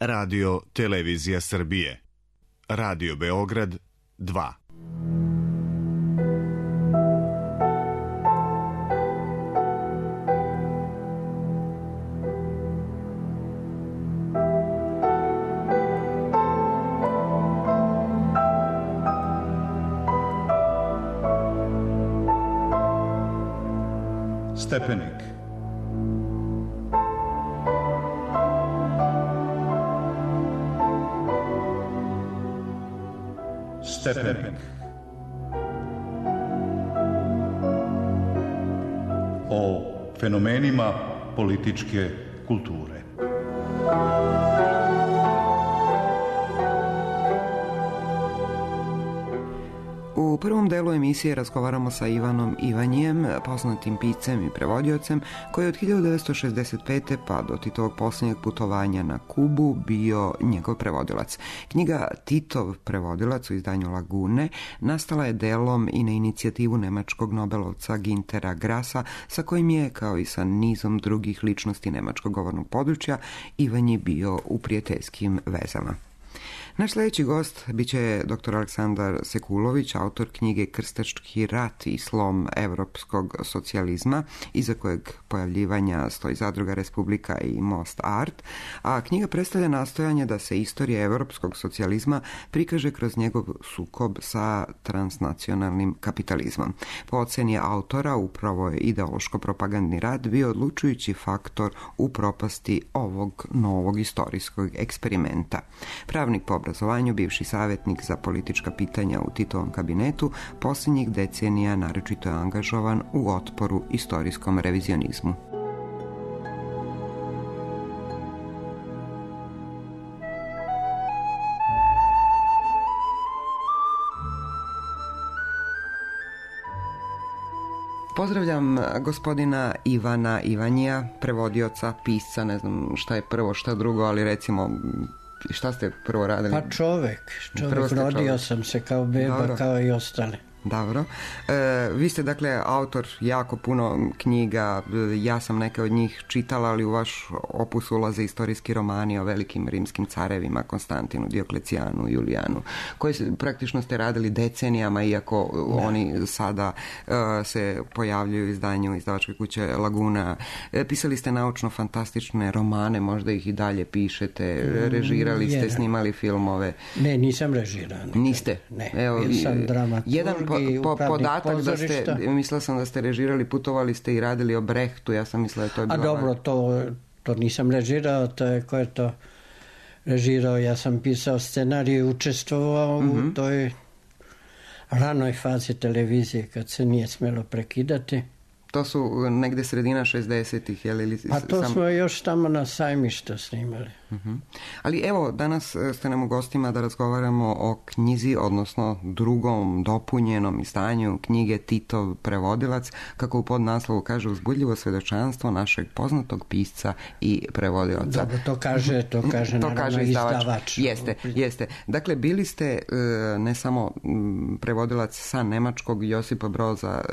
Radio Televizija Srbije. Radio Beograd 2. Stepenik. Stepenik. O fenomenima političke kulture. U prvom delu emisije razgovaramo sa Ivanom Ivanjijem, poznatim piscem i prevodiocem, koji je od 1965. pa do Titovog posljednjeg putovanja na Kubu bio njegov prevodilac. Knjiga Titov prevodilac u izdanju Lagune nastala je delom i na inicijativu nemačkog nobelovca Güntera Grassa, sa kojim je, kao i sa nizom drugih ličnosti nemačkog govornog područja, Ivanji bio u prijateljskim vezama. Naš sljedeći gost bit će dr. Aleksandar Sekulović, autor knjige Krstački rat i slom evropskog socijalizma, iza kojeg pojavljivanja stoji Zadruga Republika i Most Art, a knjiga predstavlja nastojanje da se istorija evropskog socijalizma prikaže kroz njegov sukob sa transnacionalnim kapitalizmom. Po oceni autora, upravo je ideološko-propagandni rad bio odlučujući faktor u propasti ovog novog istorijskog eksperimenta. Pravnik po obrazovanju, bivši savjetnik za politička pitanja u Titovom kabinetu, posljednjih decenija naročito je angažovan u otporu istorijskom revizionizmu. Pozdravljam gospodina Ivana Ivanjija, prevodioca, pisca, ne znam šta je prvo, šta drugo, ali recimo, šta ste prvo radili? Pa čovjek, rodio sam se kao beba. Dobro. Kao i ostali. Dobro. Vi ste dakle autor jako puno knjiga, ja sam neke od njih čitala, ali u vaš opus ulaze istorijski romani o velikim rimskim carevima, Konstantinu, Dioklecijanu, Julijanu, koji praktično ste radili decenijama, iako oni sada se pojavljuju u izdanju izdavačke kuće Laguna. Pisali ste naučno-fantastične romane, možda ih i dalje pišete, režirali ste, snimali filmove. Ne, nisam režirao. Niste? Ne, evo, sam dramaturg. Jedan podatak da ste, mislila sam da ste režirali, putovali ste i radili o Brehtu, ja sam mislila da to je bilo... A dobro, to nisam režirao, to je ko je to režirao, ja sam pisao scenarij i učestvovao u toj ranoj fazi televizije kad se nije smjelo prekidati. To su negde sredina 60-ih, je li? Pa to smo još tamo na Sajmištu snimali. Ali evo, danas ste nam u gostima da razgovaramo o knjizi, odnosno drugom dopunjenom izdanju knjige Titov prevodilac, kako u podnaslovu kaže, uzbudljivo svjedočanstvo našeg poznatog pisca i prevodilaca. Dobro, to kaže naravno izdavač. Jeste. Dakle, bili ste ne samo prevodilac sa nemačkog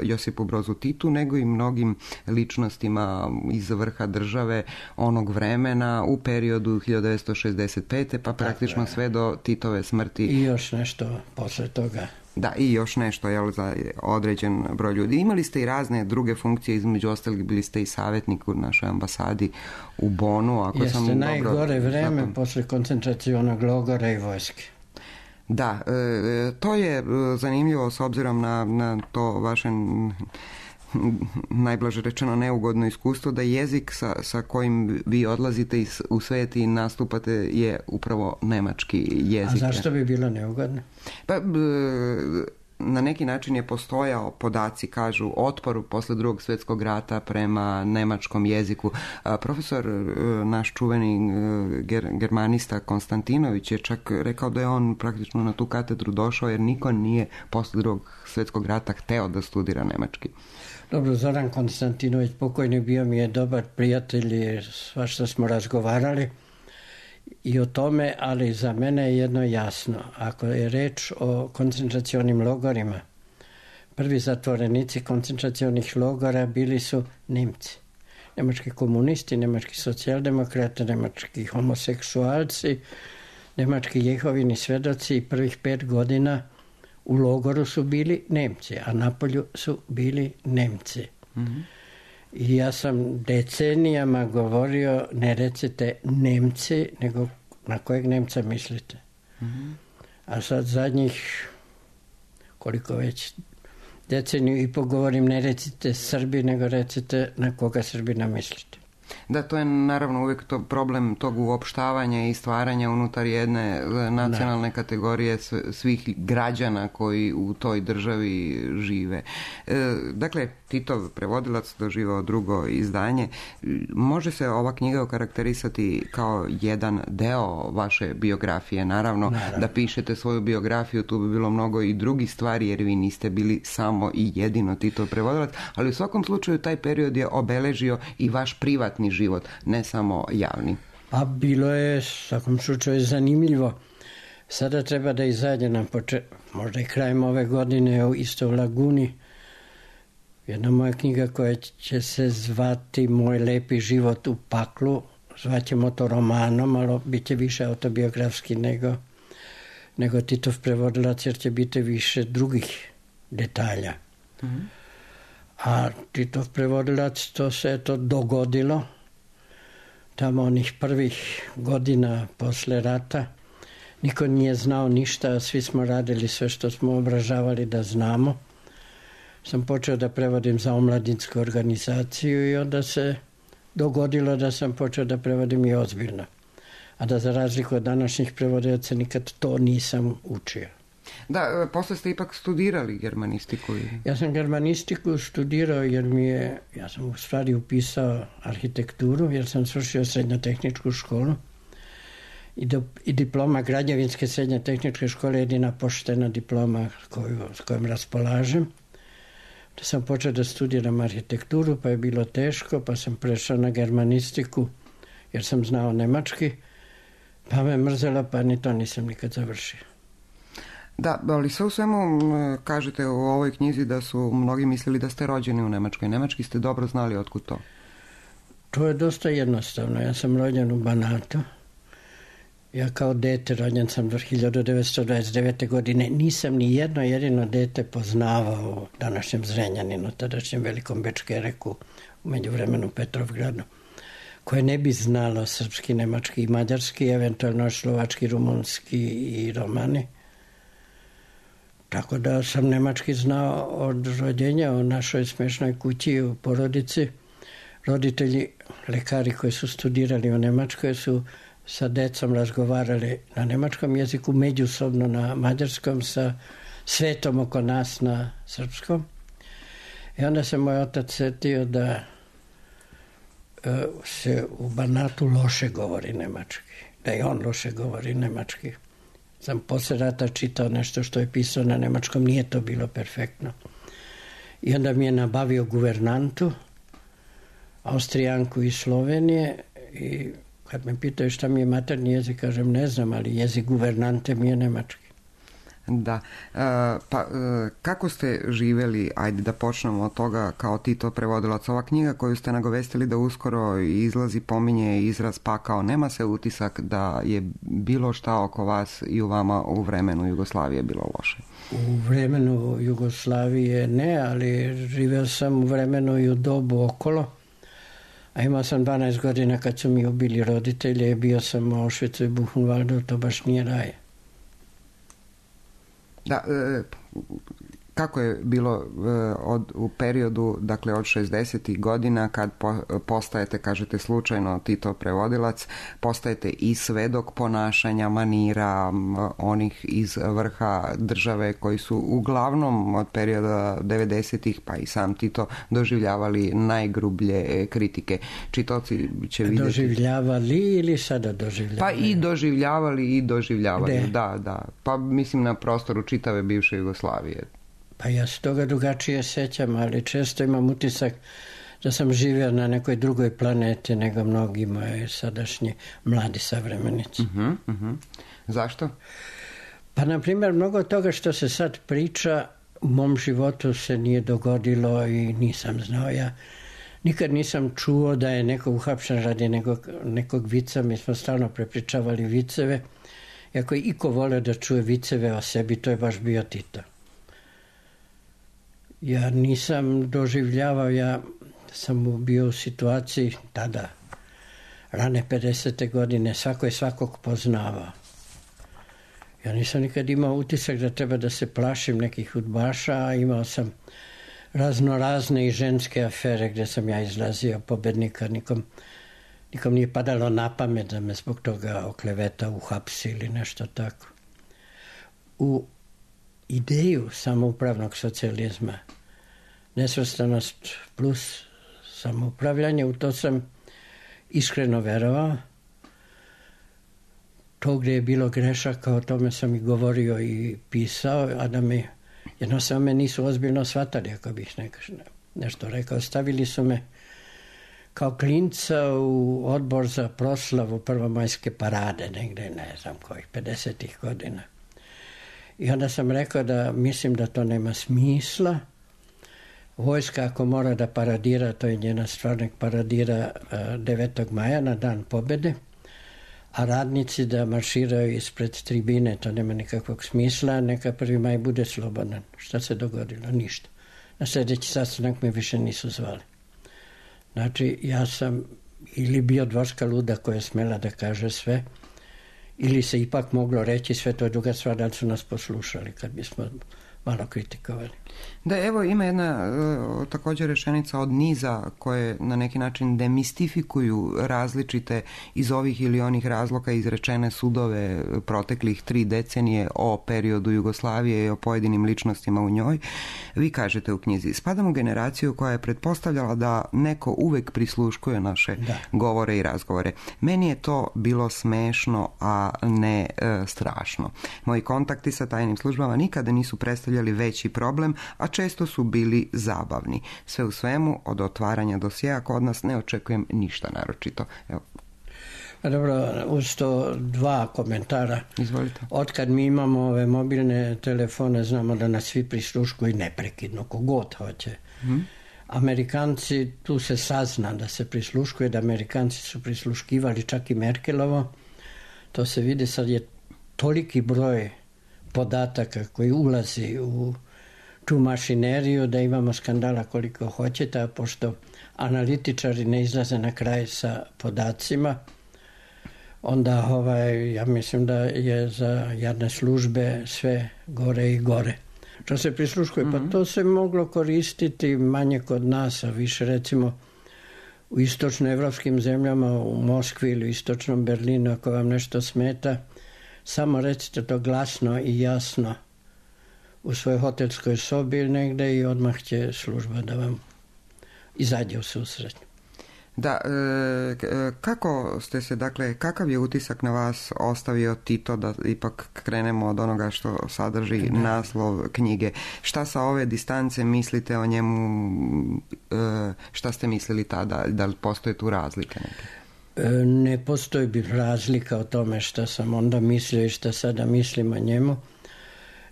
Josipu Brozu Titu, nego i mnogim ličnostima iz vrha države onog vremena u periodu 1965. pa praktično sve do Titove smrti. I još nešto posle toga. Da, i još nešto, jel, za određen broj ljudi. Imali ste i razne druge funkcije, između ostalih bili ste i savjetnik u našoj ambasadi u Bonu. Jeste najgore vreme posle koncentracionog logora i vojske. Da, to je zanimljivo s obzirom na to vaše najblaže rečeno neugodno iskustvo, da jezik sa kojim vi odlazite u svijet i nastupate je upravo nemački jezik. A zašto bi bilo neugodno? Pa na neki način je postojao, podaci kažu, otpor posle Drugog svjetskog rata prema nemačkom jeziku. Profesor, naš čuveni germanista Konstantinović je čak rekao da je on praktično na tu katedru došao jer niko nije posle Drugog svjetskog rata hteo da studira nemački. Dobro, Zoran Konstantinović pokojni bio mi je dobar prijatelj i svašta smo razgovarali i o tome, ali za mene je jedno jasno. Ako je reč o koncentracionim logorima, prvi zatvorenici koncentracionih logora bili su Nemci. nemački komunisti, nemački socijaldemokrate, nemački homoseksualci, nemački Jehovini svedoci i prvih 5 godina u logoru su bili Nemci, a napolju su bili Nemci. I ja sam decenijama govorio, ne recite Nemci, nego na kojeg Nemca mislite. A sad zadnjih, koliko već, deceniju i pogovorim, ne recite Srbi, nego recite na koga Srbina mislite. Da, to je naravno uvijek to problem tog uopštavanja i stvaranja unutar jedne nacionalne kategorije svih građana koji u toj državi žive. Dakle, Titov prevodilac doživao drugo izdanje. Može se ova knjiga okarakterisati kao jedan deo vaše biografije. Naravno, da pišete svoju biografiju, tu bi bilo mnogo i drugih stvari, jer vi niste bili samo i jedino Titov prevodilac, ali u svakom slučaju taj period je obeležio i vaš privatni život, ne samo javni. Pa bilo je svakom slučaju zanimljivo. Sada treba da izađe nam možda i krajem ove godine isto u Laguni jedna moja knjiga koja će se zvati Moj lepi život u paklu. Zvaćemo to romanom, ali bit će više autobiografski nego Titov prevodilac, jer će biti više drugih detalja. A Titov prevodilac, to se to dogodilo tamo onih prvih godina posle rata. Niko nije znao ništa, svi smo radili sve što smo obražavali da znamo. Sam počeo da prevodim za omladinsku organizaciju i onda se dogodilo da sam počeo da prevodim i ozbiljno. A da za razliku od današnjih prevodilaca nikad to nisam učio. Da, posle ste ipak studirali germanistiku. Ja sam germanistiku studirao jer ja sam u stvari upisao arhitekturu, jer sam svršio srednjotehničku školu i diploma građevinske srednjotehničke škole je jedina poštena diploma s kojom raspolažem. Da sam počeo da studiram arhitekturu, pa je bilo teško, pa sam prešao na germanistiku jer sam znao nemački, pa me mrzelo, pa ni to nisam nikad završio. Da, ali sve u svemu kažete u ovoj knjizi da su mnogi mislili da ste rođeni u Nemačkoj. Nemački ste dobro znali otkud to? To je dosta jednostavno. Ja sam rođen u Banatu. Ja kao dete, rođen sam do 1929. godine, nisam ni jedno jedino dete poznavao u današnjem Zrenjaninu, tadašnjem Velikom Bečkereku, u međuvremenu Petrovgradu, koje ne bi znalo srpski, nemački i mađarski, eventualno slovački, rumunski i romani. Tako da sam nemački znao od rođenja u našoj smešnoj kući u porodici. Roditelji, lekari koji su studirali u Nemačkoj su sa decom razgovarali na nemačkom jeziku, međusobno na mađarskom, sa svetom oko nas na srpskom. I onda se moj otac setio da se u Banatu loše govori nemački, da i on loše govori nemački. Sam posle rata čitao nešto što je pisao na nemačkom, nije to bilo perfektno. I onda mi je nabavio guvernantu, Austrijanku iz Slovenije, i kad me pitaju šta mi je maternji jezik, kažem ne znam, ali jezik guvernante mi je nemački. Da, pa kako ste živjeli, ajde da počnemo od toga, kao Tito prevodilac? Ova knjiga koju ste nagovestili da uskoro izlazi pominje izraz pakao. Nema se utisak da je bilo šta oko vas i u vama u vremenu Jugoslavije bilo loše? U vremenu Jugoslavije ne, ali živeo sam u vremenu i u dobu okolo. A imao sam 12 godina kad su mi ubili roditelje, bio sam u Auschwitzu i Buchenwaldu, to baš nije raj. Da, kako je bilo u periodu, dakle od 60. godina kad postajete, kažete slučajno Tito prevodilac, postajete i svedok ponašanja, manira onih iz vrha države koji su uglavnom od perioda 90-ih pa i sam Tito doživljavali najgrublje kritike. Čitaoci će vidjeti... Doživljavali ili sada doživljavali? Pa i doživljavali i doživljavali, Gde? da. Pa mislim na prostoru čitave bivše Jugoslavije. Pa ja se toga drugačije sećam, ali često imam utisak da sam živio na nekoj drugoj planeti nego mnogi moji sadašnji mladi savremenici. Zašto? Pa, na primjer, mnogo toga što se sad priča u mom životu se nije dogodilo i nisam znao. Ja Nikad nisam čuo da je neko uhapšen radi nekog vica. Mi smo stalno prepričavali viceve. I ako je iko voleo da čuje viceve o sebi, to je baš bio Tito. Ja nisam doživljavao, ja sam bio u situaciji tada, rane 50. godine, svako je svakog poznavao. Ja nisam nikad imao utisak da treba da se plašim nekih udbaša, a imao sam razne i ženske afere gdje sam ja izlazio pobednika. Nikom nije padalo na pamet da me zbog toga okleveta, uhapsi ili nešto tako. U ideju samoupravnog socijalizma, nesvrstanost plus samoupravljanje, u to sam iskreno verovao. To gdje je bilo grešaka, o tome sam i govorio i pisao, a da me jednostavno me nisu ozbiljno shvatali, ako bih nešto rekao. Stavili su me kao klinca u odbor za proslavu prvomajske parade, negdje, ne znam kojih, 50. godina. I onda sam rekao da mislim da to nema smisla. Vojska ako mora da paradira, to je njena stvar, nek paradira 9. maja na dan pobjede, a radnici da marširaju ispred tribine, to nema nikakvog smisla, neka 1. maj bude slobodan. Šta se dogodilo? Ništa. Na sljedeći sastanak me više nisu zvali. Znači, ja sam ili bio dvorska luda koja je smela da kaže sve, ili se ipak moglo reći sve, to je druga stvar, da li su nas poslušali kad bismo malo kritikovali. Da, evo ima jedna također rečenica od niza koje na neki način demistifikuju različite iz ovih ili onih razloga izrečene sudove proteklih 3 decenije o periodu Jugoslavije i o pojedinim ličnostima u njoj. Vi kažete u knjizi, spadam u generaciju koja je pretpostavljala da neko uvek prisluškuje naše govore i razgovore. Meni je to bilo smešno, a ne strašno. Moji kontakti sa tajnim službama nikada nisu predstavljali veći problem, a često su bili zabavni. Sve u svemu, od otvaranja dosjea kod nas ne očekujem ništa naročito. Evo. Dobro, uz to 2 komentara. Izvolite. Otkad mi imamo ove mobilne telefone, znamo da nas svi prisluškuju neprekidno, kogod hoće. Amerikanci, tu se sazna da se prisluškuje, da Amerikanci su prisluškivali čak i Merkelovo. To se vidi, sad je toliki broj podataka koji ulazi u tu mašineriju da imamo skandala koliko hoćete, a pošto analitičari ne izlaze na kraj sa podacima, onda ja mislim da je za javne službe sve gore i gore. Što se prisluškuje, pa to se moglo koristiti manje kod nas, a više recimo u istočnoevropskim zemljama, u Moskvi ili u istočnom Berlinu, ako vam nešto smeta, samo recite to glasno i jasno u svojoj hotelskoj sobi ili negdje i odmah će služba da vam izađe u susret. Da, kako ste se, dakle, kakav je utisak na vas ostavio Tito, da ipak krenemo od onoga što sadrži naslov knjige? Šta sa ove distance mislite o njemu, šta ste mislili tada, da li postoje tu razlike neke? Ne postoji razlika o tome šta sam onda mislio i šta sada mislim o njemu.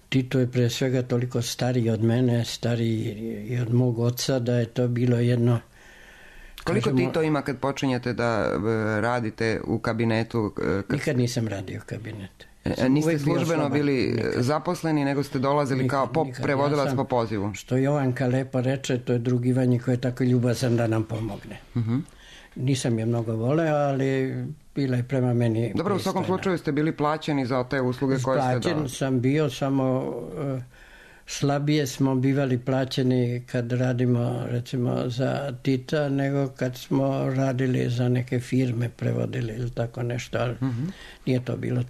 Tito je pre svega toliko stariji od mene, stariji i od mog oca, da je to bilo jedno... Koliko Tito ima kad počinjete da radite u kabinetu? Nikad nisam radio u kabinetu. Niste službeno bili zaposleni, nego ste dolazili kao prevodilac po pozivu? Što Jovanka lepo reče, to je drugivanje koje je tako ljubazan da nam pomogne. Nisam je mnogo voleo, ali bila je prema meni... Dobro, u svakom slučaju ste bili plaćeni za te usluge koje ste dali? Plaćen sam bio, samo slabije smo bivali plaćeni kad radimo recimo za Tita, nego kad smo radili za neke firme, prevodili ili tako nešto, ali nije to bilo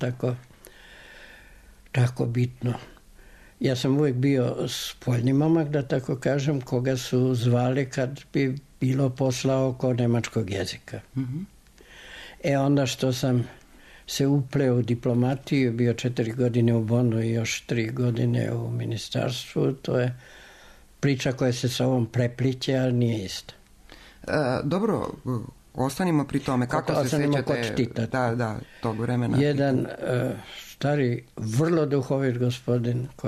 tako bitno. Ja sam uvijek bio spoljni momak, da tako kažem, koga su zvali kad bi bilo posla oko nemačkog jezika. Onda što sam se upleo u diplomatiju, bio 4 godine u Bonu i još 3 godine u ministarstvu, to je priča koja se sa ovom prepliče, ali nije isto. Dobro, ostanimo pri tome. Kako se sjećate tog vremena? Jedan stari, vrlo duhovit gospodin s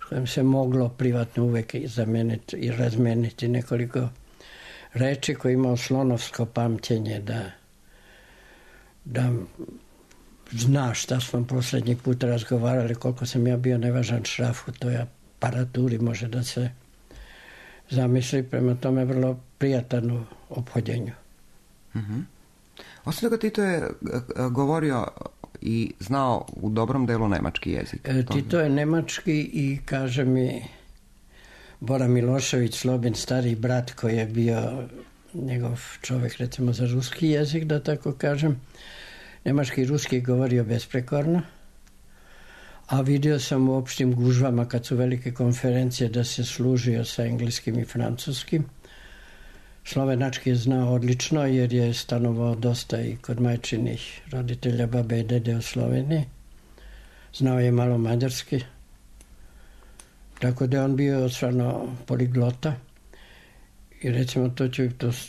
kojim se moglo privatno uvek zameniti i razmeniti nekoliko reči, koji je imao slonovsko pamćenje da zna šta smo posljednji put razgovarali, koliko sam ja bio nevažan šraf u toj aparaturi, može da se zamisli, prema tome vrlo prijatan u ophođenju. Mm-hmm. Osim toga, Tito je govorio i znao u dobrom delu nemački jezik. Tito je nemački i kaže mi Bora Milošević, Slobin stari brat koji je bio njegov čovjek recimo za ruski jezik, da tako kažem. Nemački i ruski govorio besprekorno, a vidio sam u opštim gužvama kad su velike konferencije da se služio sa engleskim i francuskim. Slovenački je znao odlično jer je stanovao dosta i kod majčinih roditelja, babe i dede u Sloveniji. Znao je malo mađarski. Tako da je on bio stvarno poliglota. I recimo to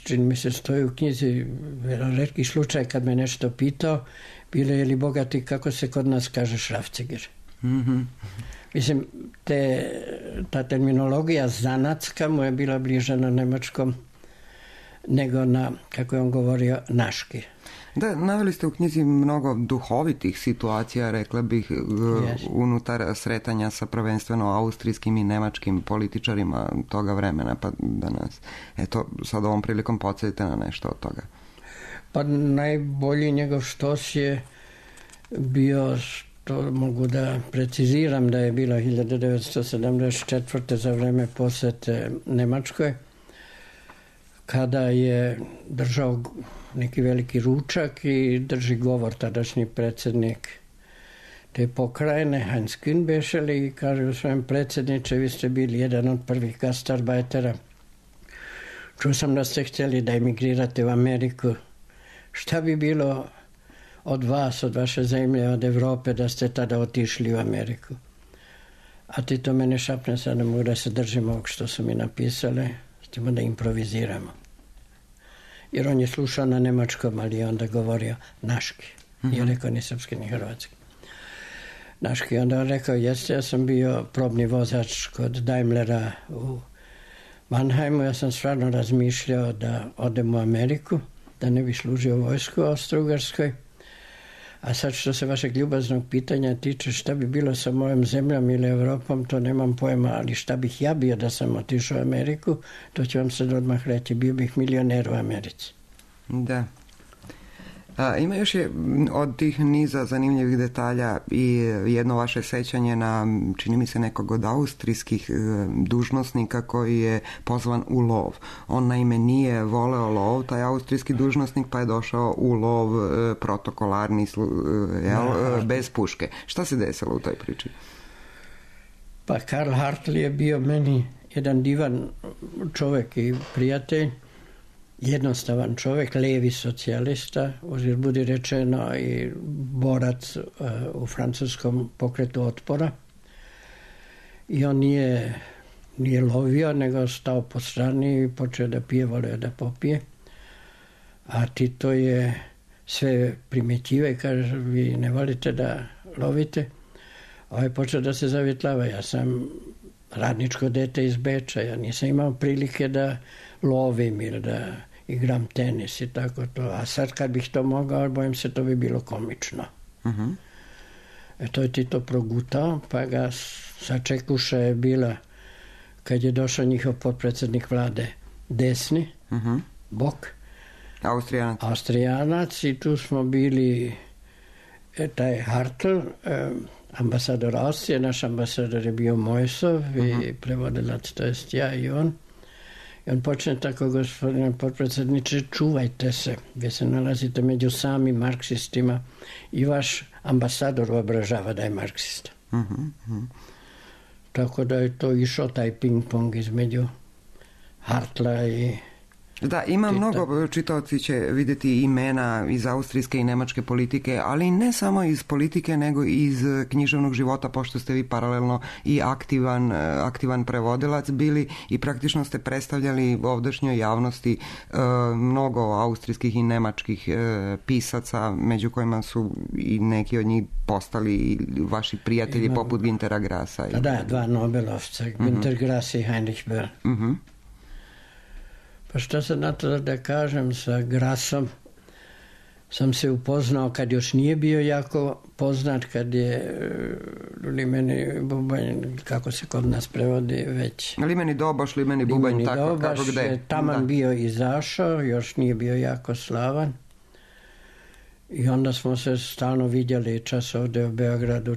čini mi se stoji u knjizi, retki slučaj kad me nešto pitao, bilo je li bogati, kako se kod nas kaže šrafciger. Mm-hmm. Mislim, ta terminologija zanatska mu je bila bliža na nemačkom nego na, kako je on govorio, naški. Da, naveli ste u knjizi mnogo duhovitih situacija, rekla bih, unutar sretanja sa prvenstveno austrijskim i nemačkim političarima toga vremena, pa da nas, eto, sad ovom prilikom podsjetite na nešto od toga. Pa najbolji njegov štos je bio, to mogu da preciziram, da je bila 1974. za vreme posete Nemačkoj, kada je držao neki veliki ručak i drži govor tadašnji predsjednik te pokrajine, Heinz Kühn bešeli, i kaže u svojem: predsjedniče, vi ste bili jedan od prvih gastarbeitera. Čuo sam da ste htjeli da emigrirate u Ameriku. Šta bi bilo od vas, od vaše zemlje, od Evrope, da ste tada otišli u Ameriku? A ti to mene šapne, sad ne mogu da se držim ovog što su mi napisali, ćemo da improviziramo. Jer on je slušao na nemačkom, ali je onda govorio naški. Nije rekao ni srpski, ni hrvatski. Naški. Onda on rekao: jeste, ja sam bio probni vozač kod Daimlera u Mannheimu. Ja sam stvarno razmišljao da odem u Ameriku, da ne bi služio vojsku u Austro-Ugarskoj. A sad što se vašeg ljubaznog pitanja tiče, šta bi bilo sa mojom zemljom ili Evropom, to nemam pojma, ali šta bih ja bio da sam otišao u Ameriku, to ću vam sad odmah reći, bio bih milioner u Americi. Da. Ima još je od tih niza zanimljivih detalja i jedno vaše sećanje na, čini mi se, nekog od austrijskih dužnosnika koji je pozvan u lov. On naime nije voleo lov, taj austrijski dužnosnik, pa je došao u lov protokolarni, bez puške. Šta se desilo u toj priči? Pa Karl Hartl je bio meni jedan divan čovjek i prijatelj. Jednostavan čovjek, levi socijalista, uzir budi rečeno i borac u francuskom pokretu otpora. I on nije lovio, nego stao po strani i počeo da pije, volio da popije. A Tito je sve primjećiva i kaže: vi ne volite da lovite. A je počeo da se zavjetlava. Ja sam radničko dete iz Beča, ja nisam imao prilike da lovim ili da igram tenis i tako to. A sad kad bih to mogao, bojim se, to bi bilo komično. Uh-huh. To je Tito progutao, pa ga sačekuša je bila kad je došao njihov potpredsjednik vlade desni, Bok, Austrijanac, i tu smo bili taj Hartl, ambasador Austrije, naš ambasador je bio Mojsov i prevodilac, to jest ja i on. I on počne tako: gospodine potpredsjedniče, čuvajte se, vi se nalazite među samim marksistima i vaš ambasador obražava da je marksista. Tako da je to išao taj ping-pong između Hartla i Da, ima mnogo, čitaoci će vidjeti imena iz austrijske i nemačke politike, ali ne samo iz politike, nego i iz književnog života, pošto ste vi paralelno i aktivan prevodilac bili i praktično ste predstavljali ovdašnjoj javnosti mnogo austrijskih i nemačkih pisaca, među kojima su i neki od njih postali vaši prijatelji poput Güntera Grassa. Da, dva Nobelovca, Günter Grass i Heinrich Böll. Pa šta sad na to da kažem, sa Grasom sam se upoznao kad još nije bio jako poznat, kad je limeni bubanj, kako se kod nas prevodi već. Limeni Doboš, limeni bubanj, limeni tako Doboš, kako gde. Taman bio izašao, još nije bio jako slavan. I onda smo se stalno vidjeli, čas ovdje u Beogradu,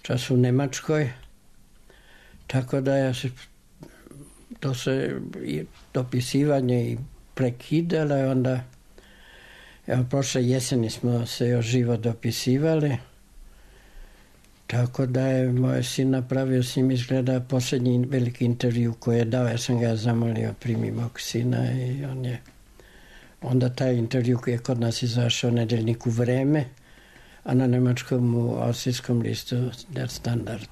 čas u Nemačkoj. Tako da ja se to se dopisivanje i prekidalo i onda evo, prošle jeseni smo se još živo dopisivali, tako da je moj sin napravio s njim izgleda posljednji veliki intervju koji je dao. Ja sam ga zamolio primi mog sina i on je onda taj intervju koji je kod nas izašao u nedeljniku Vreme, a na nemačkom u austrijskom listu Der Standard.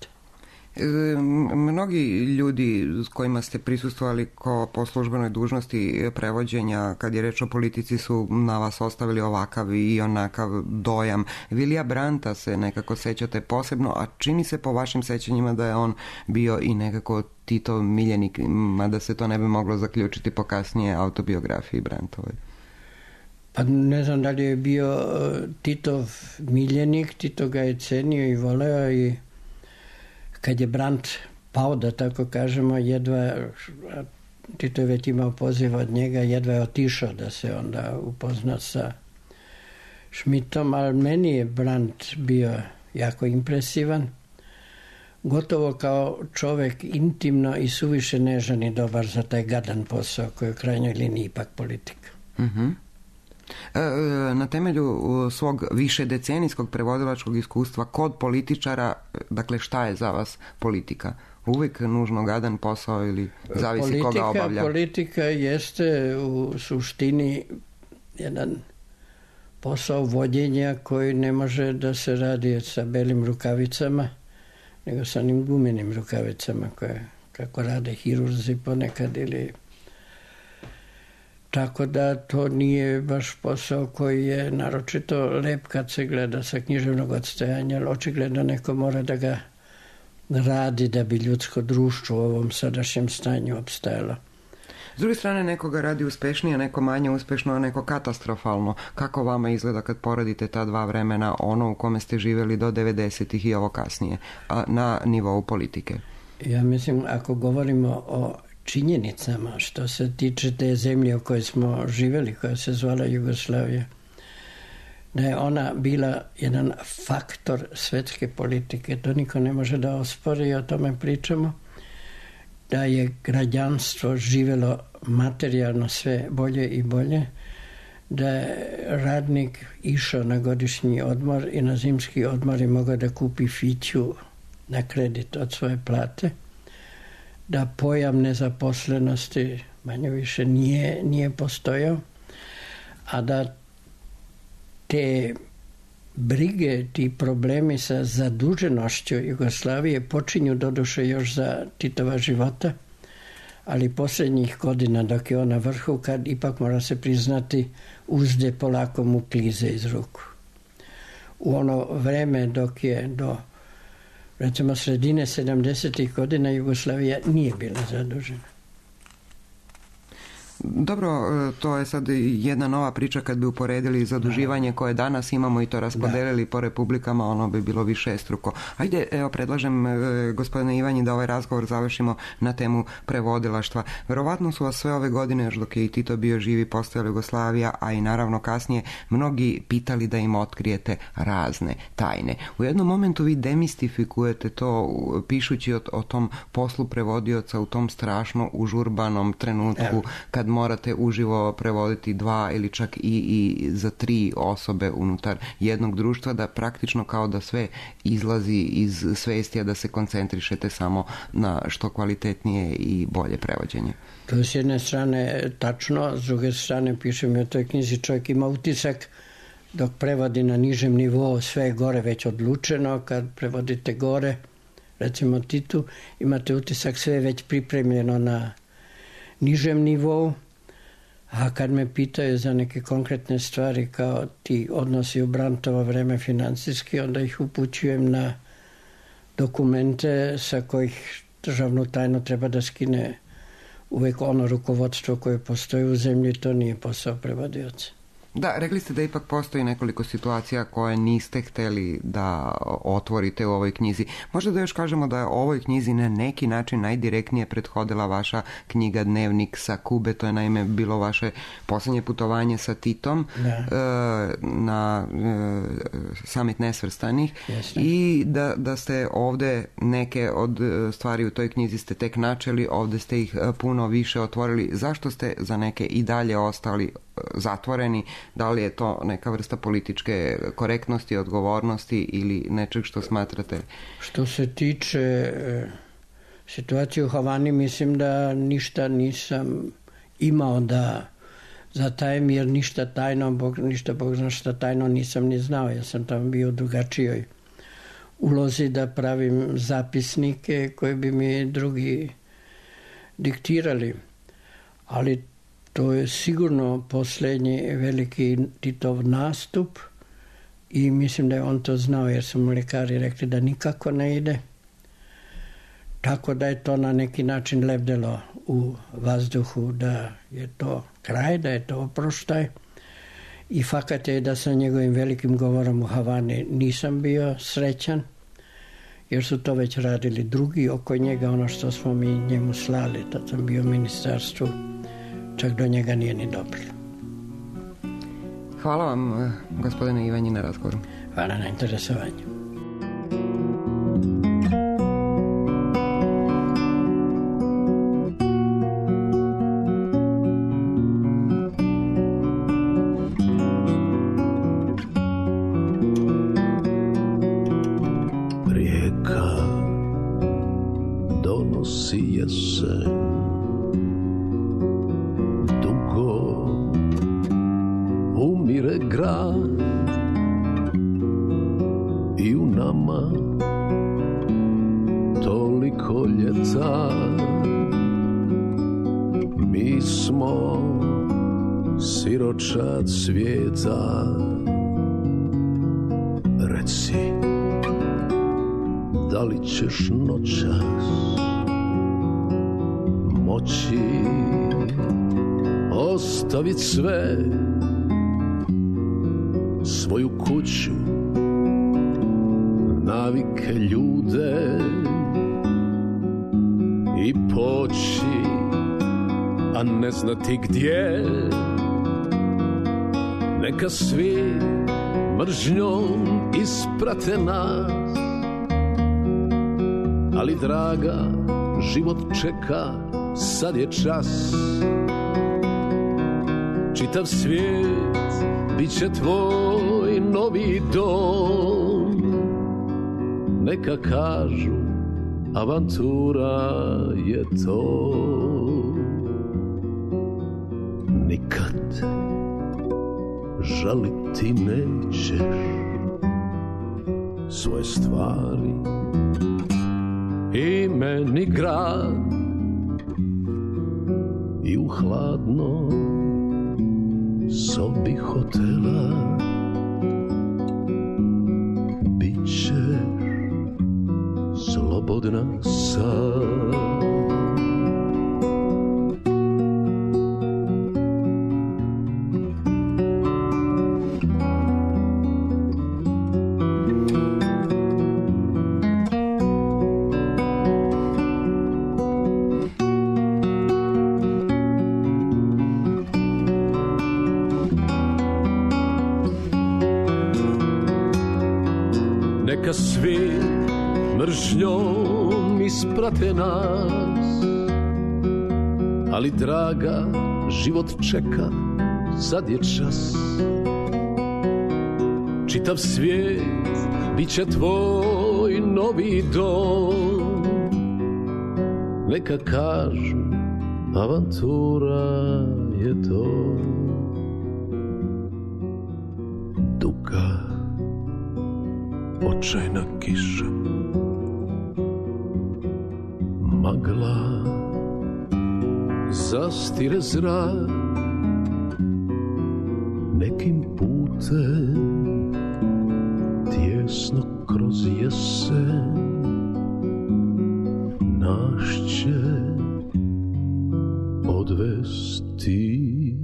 Mnogi ljudi s kojima ste prisustvovali po službenoj dužnosti prevođenja, kad je reč o politici, su na vas ostavili ovakav i onakav dojam. Vilija Brandta se nekako sećate posebno, a čini se po vašim sećanjima da je on bio i nekako Titov miljenik, mada se to ne bi moglo zaključiti po kasnije autobiografiji Brandtovoj. Pa ne znam da li je bio Titov miljenik, Tito ga je cenio i voleo i kad je Brandt pao, da tako kažemo, jedva, Tito je već imao poziv od njega, jedva je otišao da se onda upozna sa Schmidtom, ali meni je Brandt bio jako impresivan, gotovo kao čovjek intimno i suviše nežan i dobar za taj gadan posao koji je u krajnjoj liniji ipak politika. Mhm. Na temelju svog višedecenijskog prevodilačkog iskustva kod političara, dakle šta je za vas politika? Uvijek nužno gadan posao ili zavisi koga obavlja? Politika jeste u suštini jedan posao vođenja koji ne može da se radi sa belim rukavicama, nego sa onim gumenim rukavicama koje kako rade hirurzi ponekad ili... Tako da to nije baš posao koji je naročito lep kad se gleda sa književnog odstajanja, ali očigledno neko mora da ga radi da bi ljudsko društvo u ovom sadašnjem stanju opstajalo. S druge strane, nekoga radi uspešnije, neko manje uspešno, a neko katastrofalno. Kako vama izgleda kad poredite ta dva vremena, ono u kome ste živjeli do 90-ih i ovo kasnije, na nivou politike? Ja mislim, ako govorimo o činjenicama što se tiče te zemlje u kojoj smo živjeli, koja se zvala Jugoslavija, da je ona bila jedan faktor svetske politike, to niko ne može da ospori i o tome pričamo, da je građanstvo živjelo materijalno sve bolje i bolje, da je radnik išao na godišnji odmor i na zimski odmor i mogao da kupi fiću na kredit od svoje plate, da pojam nezaposlenosti manje više nije postojao, a da te brige, ti problemi sa zaduženošću Jugoslavije počinju doduše još za Titova života, ali posljednjih godina dok je on na vrhu, kad ipak mora se priznati uzde polako mu klize iz ruku. U ono vreme dok je do recimo sredine 70. godina Jugoslavija nije bila zadužena. Dobro, to je sad jedna nova priča kad bi uporedili zaduživanje koje danas imamo i to raspodelili po republikama, ono bi bilo višestruko. Ajde, evo, predlažem gospodine Ivanji da ovaj razgovor završimo na temu prevodilaštva. Verovatno su vas sve ove godine, još dok je i Tito bio živi, postojala Jugoslavija, a i naravno kasnije, mnogi pitali da im otkrijete razne tajne. U jednom momentu vi demistifikujete to pišući o tom poslu prevodioca u tom strašno užurbanom trenutku kad morate uživo prevoditi 2 ili čak i za 3 osobe unutar jednog društva, da praktično kao da sve izlazi iz svesti, a da se koncentrišete samo na što kvalitetnije i bolje prevođenje. To je s jedne strane tačno, s druge strane pišem u toj knjizi, čovjek ima utisak dok prevodi na nižem nivou, sve je gore već odlučeno, kad prevodite gore, recimo Titu, imate utisak sve je već pripremljeno na nižem nivou, a kad me pitaju za neke konkretne stvari kao ti odnosi u Brandtovo vreme financijski, onda ih upućujem na dokumente sa kojih državnu tajnu treba da skine uvek ono rukovodstvo koje postoji u zemlji, to nije posao prevodioca. Da, rekli ste da ipak postoji nekoliko situacija koje niste hteli da otvorite u ovoj knjizi. Možda da još kažemo da je ovoj knjizi na neki način najdirektnije prethodila vaša knjiga Dnevnik sa Kube, to je naime bilo vaše posljednje putovanje sa Titom na Samit nesvrstanih. Jasne. I da ste ovde neke od stvari u toj knjizi ste tek načeli, ovde ste ih puno više otvorili. Zašto ste za neke i dalje ostali zatvoreni? Da li je to neka vrsta političke korektnosti, odgovornosti ili nečeg što smatrate? Što se tiče situacije u Havani, mislim da ništa nisam imao da zatajem, jer ništa Bog zna šta tajno nisam ni znao. Ja sam tamo bio u drugačijoj ulozi da pravim zapisnike koje bi mi drugi diktirali. Ali to je sigurno posljednji veliki Titov nastup i mislim da je on to znao, jer su mu lekari rekli da nikako ne ide. Tako da je to na neki način lebdelo u vazduhu, da je to kraj, da je to oproštaj. I fakat je da sa njegovim velikim govorom u Havani nisam bio srećan, jer su to već radili drugi oko njega, ono što smo mi njemu slali. Tad sam bio u ministarstvu, čak do njega nije ni dobilo. Hvala vam, gospodine Ivanji, na razgovoru. Hvala na interesovanju. Rijeka donosi jesen, umire grad i u nama toliko ljeta. Mi smo siročad svijeta. Reci, da li ćeš noćas moći ostavit sve, svoju kuću, navike, ljude i poći, a ne znati gdje. Neka svi mržnjom isprate nas, ali draga, život čeka, sad je čas. Čitav svijet bit će tvoj novi dom. Neka kažu, avantura je to. Nikad žaliti nećeš svoje stvari i meni grad i u hladno sobi hotela bit ćeš slobodna sad. Neka svi mržnjom isprate nas, ali draga, život čeka, sad je čas. Čitav svijet bit će tvoj novi dom. Neka kažu, avantura je to. Duga očajna kiša, magla zastire zrak, nekim putem tjesno kroz jesen naš će dovesti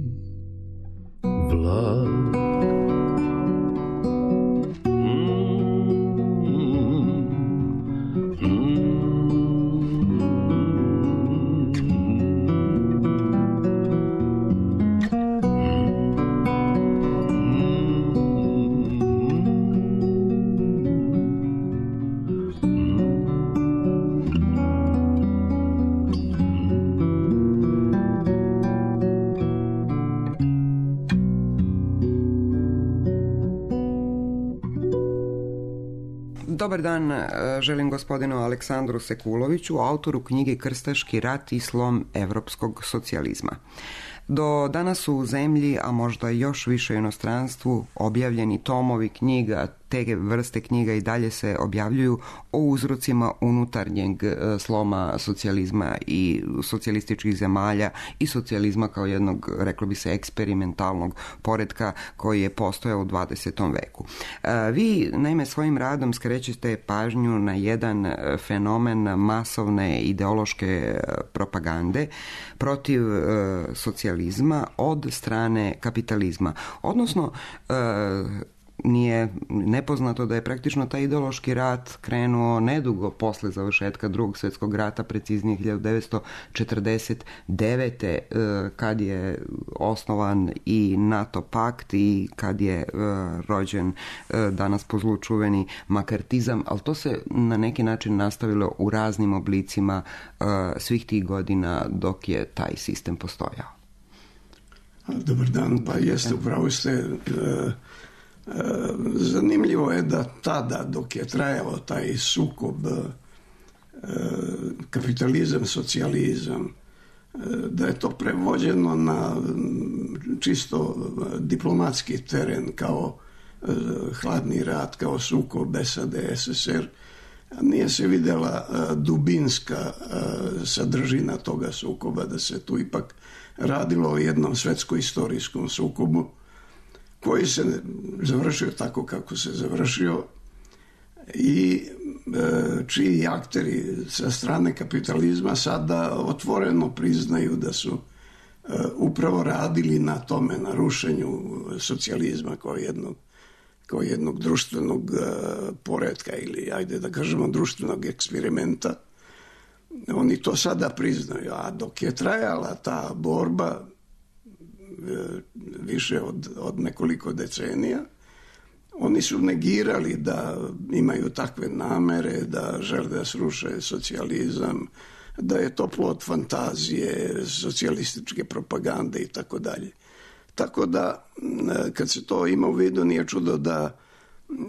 vlak. Dobar dan, želim gospodinu Aleksandru Sekuloviću, autoru knjige Krstaški rat i slom evropskog socijalizma. Do danas su u zemlji, a možda još više u inostranstvu, objavljeni tomovi knjiga, te vrste knjiga i dalje se objavljuju o uzrocima unutarnjeg sloma socijalizma i socijalističkih zemalja i socijalizma kao jednog, reklo bi se, eksperimentalnog poretka koji je postojao u 20. veku. Vi, naime, svojim radom skrećete pažnju na jedan fenomen masovne ideološke propagande protiv socijalizma od strane kapitalizma. Odnosno, nije nepoznato da je praktično taj ideološki rat krenuo nedugo posle završetka Drugog svjetskog rata, preciznije 1949. Kad je osnovan i NATO pakt i kad je rođen danas po zlu čuveni makartizam, ali to se na neki način nastavilo u raznim oblicima svih tih godina dok je taj sistem postojao. Dobar dan, pa jeste, upravo ste. Zanimljivo je da tada, dok je trajao taj sukob kapitalizam, socijalizam, da je to prevođeno na čisto diplomatski teren kao hladni rat, kao sukob SAD-SSR. Nije se vidjela dubinska sadržina toga sukoba, da se tu ipak radilo o jednom svetsko-istorijskom sukobu koji se završio tako kako se završio i čiji akteri sa strane kapitalizma sada otvoreno priznaju da su upravo radili na tome, na rušenju socijalizma kao jednog društvenog poretka ili, ajde da kažemo, društvenog eksperimenta. Oni to sada priznaju, a dok je trajala ta borba više od nekoliko decenija, oni su negirali da imaju takve namere, da žele da sruše socijalizam, da je to plod fantazije, socijalističke propagande i tako dalje. Tako da, kad se to ima u vidu, nije čudo da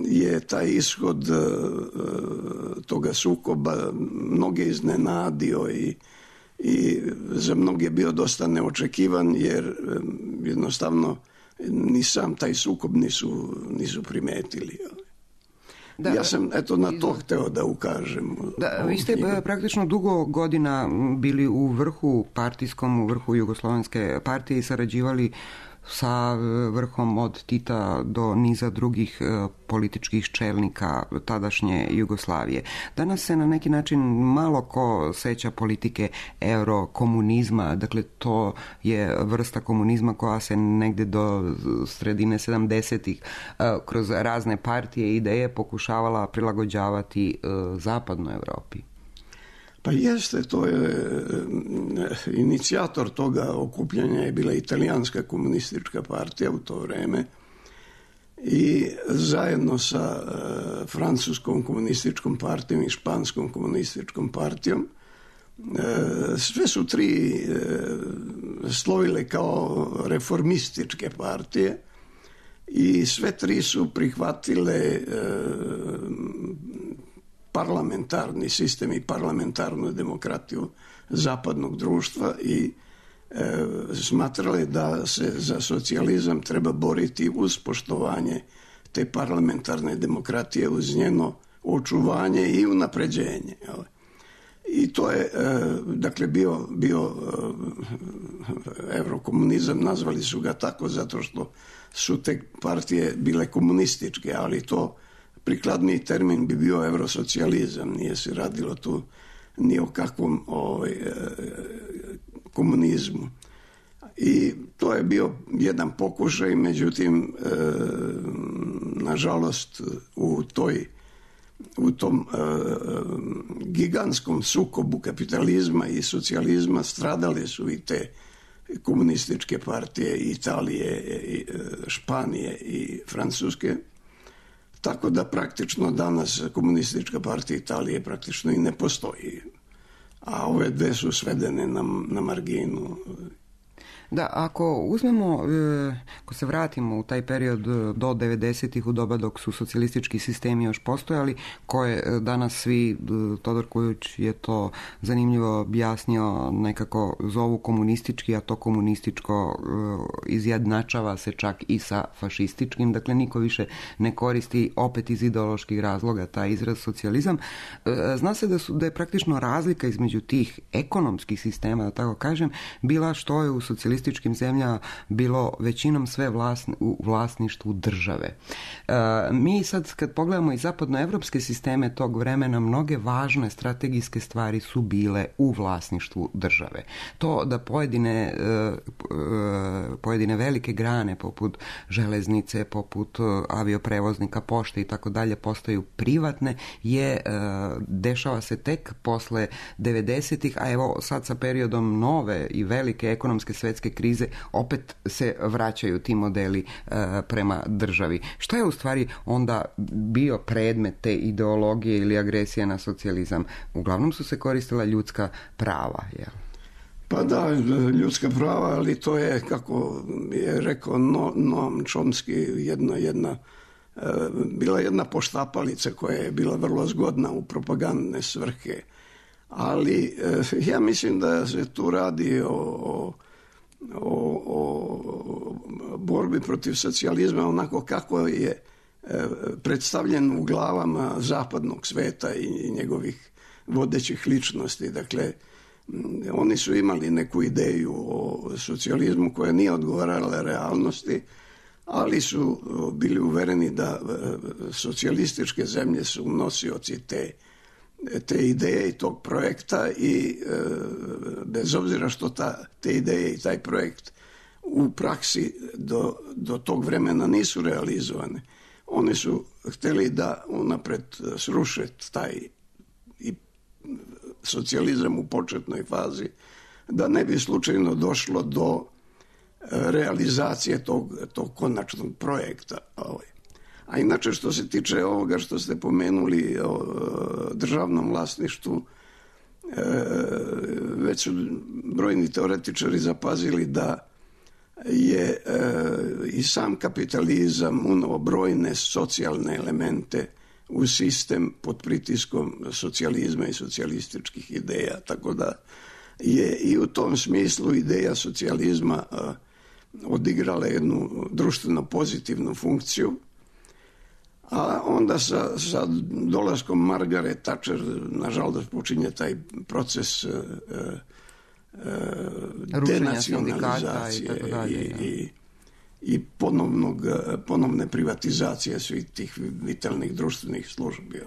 je taj ishod toga sukoba mnoge iznenadio i za mnoge bio dosta neočekivan, jer jednostavno ni sam taj sukob nisu primetili. Da, ja sam na to hteo da ukažem. Da, vi ste praktično dugo godina bili u vrhu partijskom, u vrhu Jugoslovenske partije i sarađivali sa vrhom od Tita do niza drugih političkih čelnika tadašnje Jugoslavije. Danas se na neki način malo ko seća politike eurokomunizma, dakle to je vrsta komunizma koja se negde do sredine 70-ih kroz razne partije i ideje pokušavala prilagođavati zapadnoj Evropi. Pa jeste, to je inicijator toga okupljanja je bila Italijanska komunistička partija u to vreme i zajedno sa Francuskom komunističkom partijom i Španskom komunističkom partijom sve su tri slovile kao reformističke partije i sve tri su prihvatile parlamentarni sistem i parlamentarnu demokratiju zapadnog društva i smatrali da se za socijalizam treba boriti uz poštovanje te parlamentarne demokratije, uz njeno očuvanje i unapređenje. I to je, dakle, bio eurokomunizam, nazvali su ga tako zato što su te partije bile komunističke, ali to prikladniji termin bi bio eurosocijalizam, nije se radilo tu ni o kakvom komunizmu. I to je bio jedan pokušaj, međutim, nažalost, u tom gigantskom sukobu kapitalizma i socijalizma stradale su i te komunističke partije Italije, Španije i Francuske. Tako da praktično danas komunistička partija Italije praktično i ne postoji. A ove dve su svedene na marginu. Da, ako uzmemo, ako se vratimo u taj period do 90-ih, u doba dok su socijalistički sistemi još postojali, koje danas svi, Todor Kujović je to zanimljivo objasnio, nekako zovu komunistički, a to komunističko izjednačava se čak i sa fašističkim, dakle niko više ne koristi opet iz ideoloških razloga taj izraz socijalizam. Zna se da je praktično razlika između tih ekonomskih sistema, da tako kažem, bila što je u socijalističkim zemljama bilo većinom sve u vlasništvu države. Mi sad kad pogledamo i zapadnoevropske sisteme tog vremena, mnoge važne strategijske stvari su bile u vlasništvu države. To da pojedine velike grane poput železnice, poput avioprevoznika, pošte i tako dalje postaju privatne dešava se tek posle 90-ih, a evo sad sa periodom nove i velike ekonomske svetske krize opet se vraćaju ti modeli prema državi. Što je u stvari onda bio predmet te ideologije ili agresije na socijalizam? Uglavnom su se koristila ljudska prava, jel? Pa da, ljudska prava, ali to je, kako je rekao Noam Chomsky, bila jedna poštapalica koja je bila vrlo zgodna u propagandne svrhe. Ali ja mislim da se tu radi o borbi protiv socijalizma onako kako je predstavljen u glavama zapadnog sveta i njegovih vodećih ličnosti. Dakle, oni su imali neku ideju o socijalizmu koja nije odgovarala realnosti, ali su bili uvereni da socijalističke zemlje su nosioci te ideje i tog projekta i bez obzira što te ideje i taj projekt u praksi do tog vremena nisu realizovane. Oni su htjeli da unapred sruše taj i socijalizam u početnoj fazi, da ne bi slučajno došlo do realizacije tog konačnog projekta. A inače, što se tiče ovoga što ste pomenuli o državnom vlasništvu, već su brojni teoretičari zapazili da je i sam kapitalizam unao brojne socijalne elemente u sistem pod pritiskom socijalizma i socijalističkih ideja. Tako da je i u tom smislu ideja socijalizma odigrala jednu društveno pozitivnu funkciju. A onda sa dolaskom Margaret Thatcher, nažalost, počinje taj proces denacionalizacije i ponovne privatizacije svih tih vitalnih društvenih službi.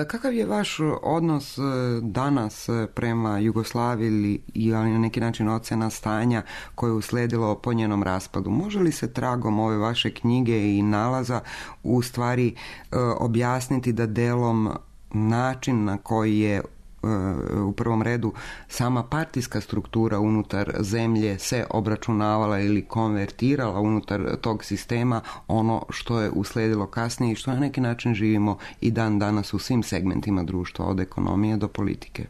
Kakav je vaš odnos danas prema Jugoslaviji ili na neki način ocena stanja koje je usledilo po njenom raspadu? Može li se tragom ove vaše knjige i nalaza u stvari objasniti da delom način na koji je u prvom redu sama partijska struktura unutar zemlje se obračunavala ili konvertirala unutar tog sistema, ono što je usledilo kasnije i što na neki način živimo i dan danas u svim segmentima društva, od ekonomije do politike?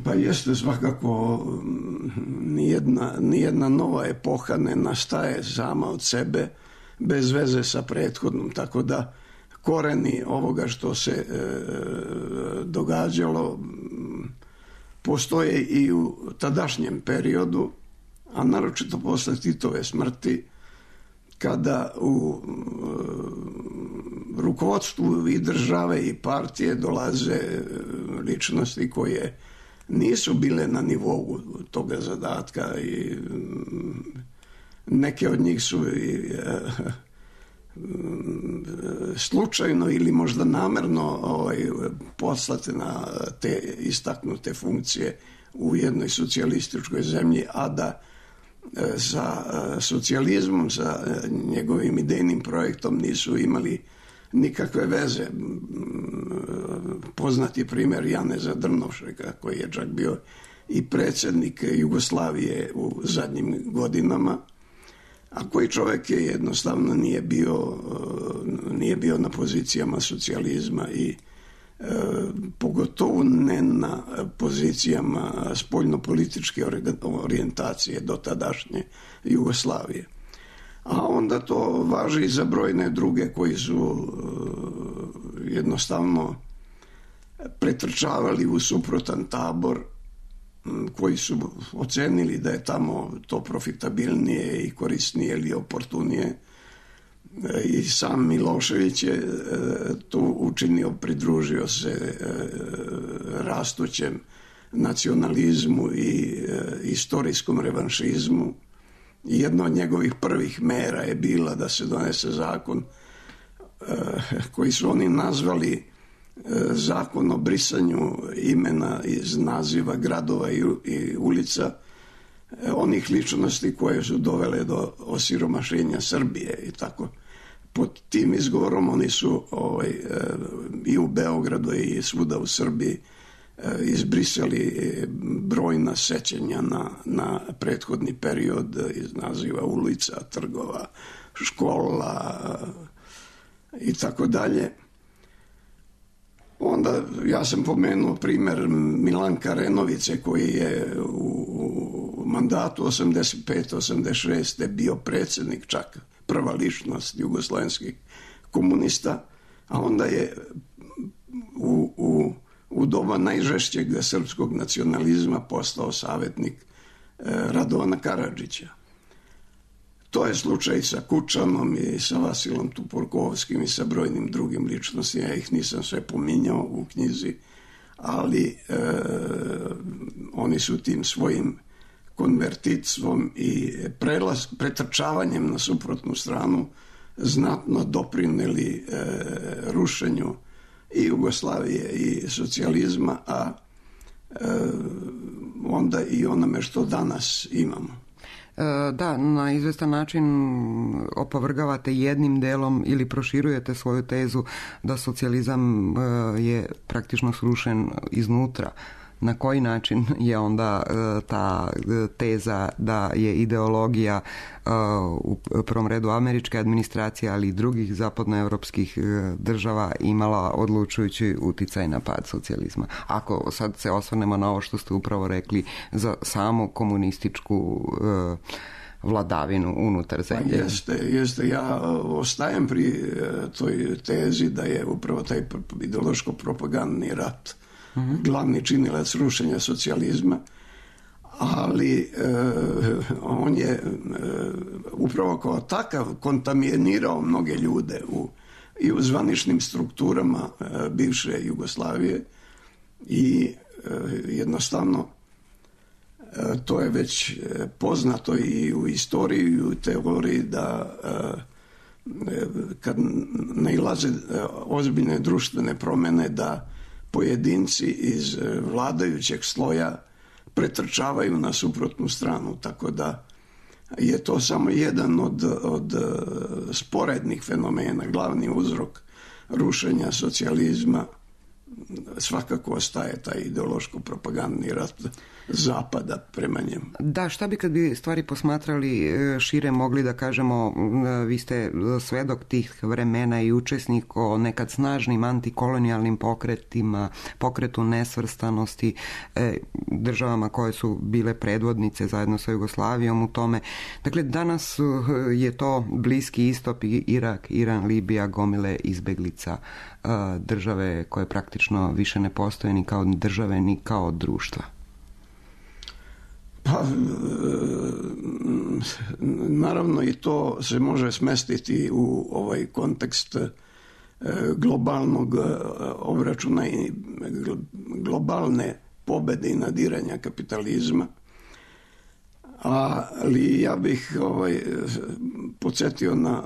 Pa jeste, svakako nijedna nova epoha ne nastaje sama od sebe bez veze sa prethodnom, tako da koreni ovoga što se događalo postoje i u tadašnjem periodu, a naročito posle Titove smrti, kada u rukovodstvu i države i partije dolaze ličnosti koje nisu bile na nivou toga zadatka i neke od njih su slučajno ili možda namerno poslate na te istaknute funkcije u jednoj socijalističkoj zemlji, a da sa socijalizmom, sa njegovim idejnim projektom nisu imali nikakve veze. Poznati primjer Janeza Drnovšeka, koji je čak bio i predsjednik Jugoslavije u zadnjim godinama, a koji čovjek je jednostavno nije bio na pozicijama socijalizma i pogotovo ne na pozicijama spoljnopolitičke orijentacije do tadašnje Jugoslavije. A onda to važi i za brojne druge koji su jednostavno pretrčavali u suprotan tabor, koji su ocenili da je tamo to profitabilnije i korisnije ili oportunije. I sam Milošević je to učinio, pridružio se rastućem nacionalizmu i istorijskom revanšizmu. I jedna od njegovih prvih mera je bila da se donese zakon koji su oni nazvali zakon o brisanju imena iz naziva gradova i ulica onih ličnosti koje su dovele do osiromašenja Srbije i tako. Pod tim izgovorom oni su i u Beogradu i svuda u Srbiji izbrisali brojna sećanja na prethodni period iz naziva ulica, trgova, škola i tako dalje. Onda ja sam pomenuo primjer Milanka Renovice, koji je u mandatu 85-86 bio predsjednik, čak prva ličnost jugoslavenskih komunista, a onda je u doba najžešćeg srpskog nacionalizma postao savjetnik Radovana Karadžića. To je slučaj sa Kučanom i sa Vasilom Tupurkovskim i sa brojnim drugim ličnostima. Ja ih nisam sve pominjao u knjizi, ali oni su tim svojim konvertitstvom i pretrčavanjem na suprotnu stranu znatno doprinijeli rušenju i Jugoslavije i socijalizma, a onda i onome što danas imamo. Da, na izvestan način opovrgavate jednim delom ili proširujete svoju tezu da socijalizam je praktično srušen iznutra. Na koji način je onda ta teza da je ideologija u prvom redu američke administracije, ali i drugih zapadnoevropskih država imala odlučujući uticaj na pad socijalizma? Ako sad se osvrnemo na ovo što ste upravo rekli za samu komunističku vladavinu unutar zemlje. Jeste. Ja ostajem pri toj tezi da je upravo taj ideološko-propagandni rat glavni činilac rušenja socijalizma, ali on je upravo kao takav kontaminirao mnoge ljude i u zvaničnim strukturama bivše Jugoslavije i jednostavno to je već poznato i u istoriji i u teoriji da kad nailaze ozbiljne društvene promjene da pojedinci iz vladajućeg sloja pretrčavaju na suprotnu stranu, tako da je to samo jedan od sporednih fenomena. Glavni uzrok rušenja socijalizma svakako ostaje taj ideološko-propagandni rat Zapada prema njemu. Da, šta bi kad bi stvari posmatrali šire mogli da kažemo, vi ste svedok tih vremena i učesnik o nekad snažnim antikolonijalnim pokretima, pokretu nesvrstanosti, državama koje su bile predvodnice zajedno sa Jugoslavijom u tome. Dakle, danas je to Bliski istok, Irak, Iran, Libija, gomile izbeglica, države koje praktično više ne postoje ni kao države ni kao društva. Pa, naravno i to se može smestiti u ovaj kontekst globalnog obračuna i globalne pobede i nadiranja kapitalizma. Ali ja bih podsjetio na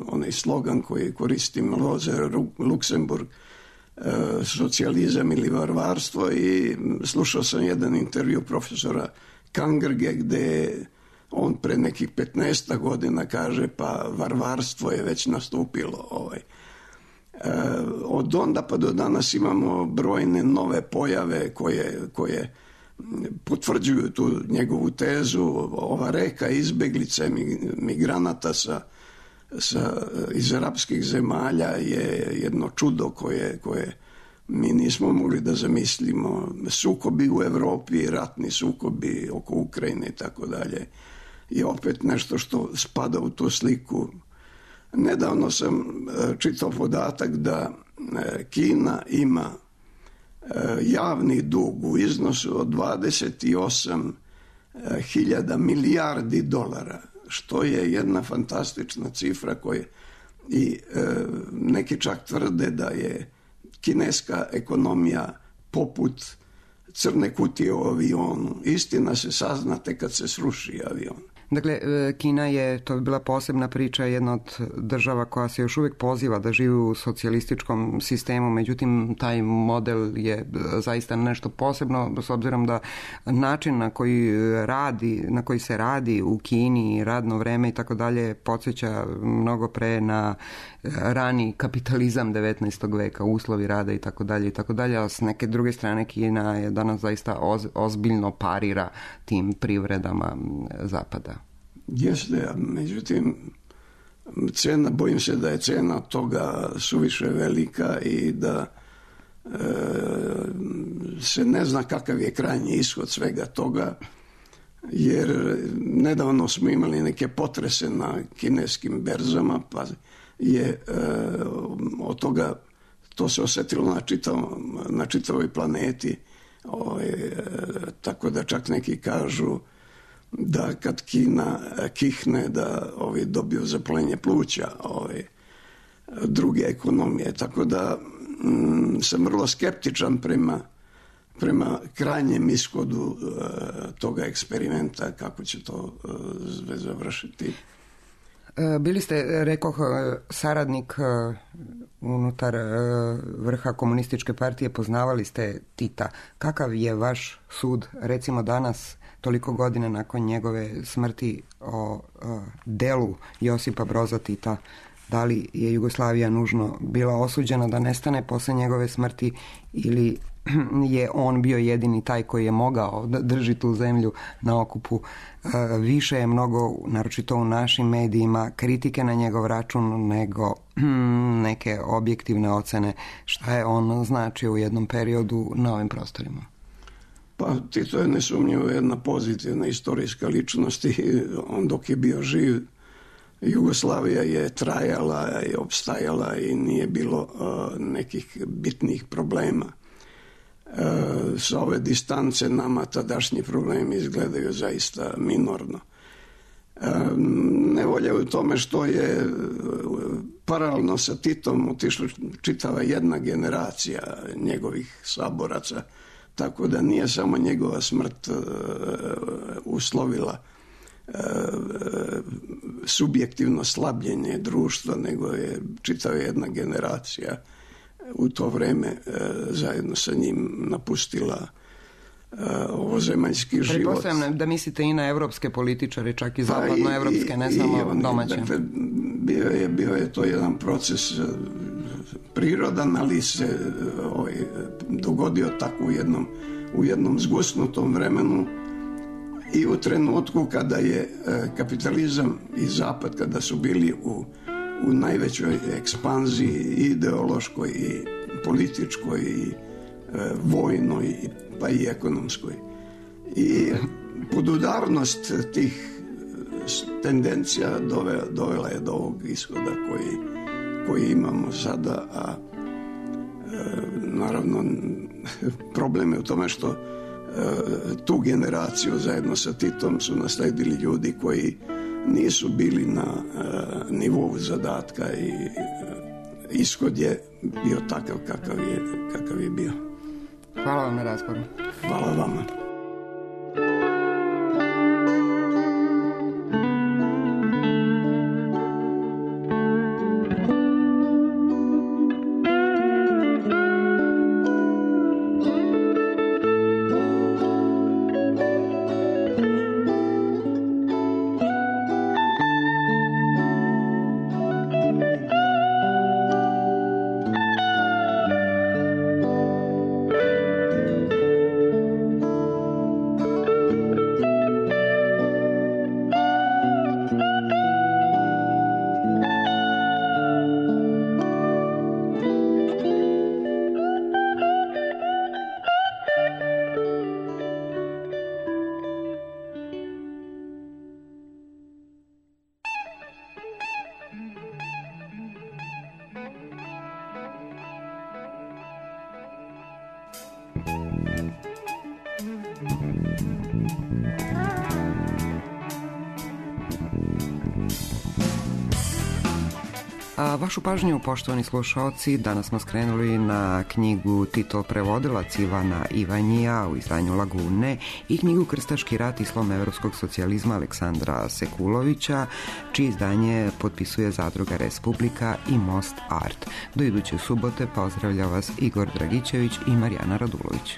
onaj slogan koji koristim, Rosa Luxemburg, socijalizam ili varvarstvo, i slušao sam jedan intervju profesora Kangrge gdje on pre nekih 15 godina kaže pa varvarstvo je već nastupilo. Od onda pa do danas imamo brojne nove pojave koje potvrđuju tu njegovu tezu. Ova reka izbeglice migranata iz arapskih zemalja je jedno čudo koje mi nismo mogli da zamislimo. Sukobi u Europi, ratni sukobi oko Ukrajine i tako dalje je opet nešto što spada u tu sliku. Nedavno sam čitao podatak da Kina ima javni dug u iznosu od 28.000 milijardi dolara, što je jedna fantastična cifra i neki čak tvrde da je kineska ekonomija poput crne kutije u avionu. Istina se sazna tek kad se sruši avion. Dakle, Kina je, to bi bila posebna priča, jedna od država koja se još uvijek poziva da živi u socijalističkom sistemu, međutim taj model je zaista nešto posebno, s obzirom da način na koji se radi u Kini, radno vreme i tako dalje, podsjeća mnogo pre na rani kapitalizam 19. veka, uslovi rada i tako dalje, a s neke druge strane Kina je danas zaista ozbiljno parira tim privredama zapada. Jeste, međutim bojim se da je cena toga suviše velika i da se ne zna kakav je krajnji ishod svega toga, jer nedavno smo imali neke potrese na kineskim berzama, pa je od toga to se osjetilo na čitavoj planeti, tako da čak neki kažu da kad Kina kihne da dobiju zapaljenje pluća druge ekonomije, tako da sam vrlo skeptičan prema krajnjem ishodu toga eksperimenta, kako će to završiti. Bili ste, rekoh, saradnik unutar vrha komunističke partije, poznavali ste Tita. Kakav je vaš sud, recimo danas, toliko godina nakon njegove smrti, o delu Josipa Broza Tita? Da li je Jugoslavija nužno bila osuđena da nestane posle njegove smrti, ili je on bio jedini taj koji je mogao da drži tu zemlju na okupu? Više je mnogo, naročito u našim medijima, kritike na njegov račun nego neke objektivne ocene šta je on značio u jednom periodu na ovim prostorima. Pa Tito je nesumnjivo jedna pozitivna istorijska ličnost i on dok je bio živ Jugoslavija je trajala i opstajala i nije bilo nekih bitnih problema. Sa ove distance nama tadašnji problemi izgledaju zaista minorno. Nevolja u tome što je paralelno sa Titom otišla čitava jedna generacija njegovih saboraca, tako da nije samo njegova smrt uslovila subjektivno slabljenje društva, nego je čitava jedna generacija u to vreme zajedno sa njim napustila ovozemaljski život. Pretpostavljam da mislite i na evropske političare, čak i zapadnoevropske, ne samo domaće. Dakle, bio je to jedan proces prirodan, ali se dogodio tako u jednom zgusnutom vremenu i u trenutku kada je kapitalizam i zapad, kada su bili u najvećoj ekspanziji ideološkoj i političkoj i vojnoj pa i ekonomskoj. I podudarnost tih tendencija dovela je do ovog ishoda koji imamo sada, a naravno problem je u tome što tu generaciju zajedno sa Titom su nasledili ljudi koji nisu bili na nivou zadatka i ishod je bio takav kakav je bio. Hvala vam na razgovoru. Hvala vama. A vašu pažnju, poštovani slušaoci, danas smo skrenuli na knjigu Titov prevodilac Ivana Ivanjija u izdanju Lagune i knjigu Krstaški rat i slom evropskog socijalizma Aleksandra Sekulovića, čije izdanje potpisuje Zadruga Respublika i Most Art. Do iduće subote pozdravlja vas Igor Dragićević i Marijana Radulović.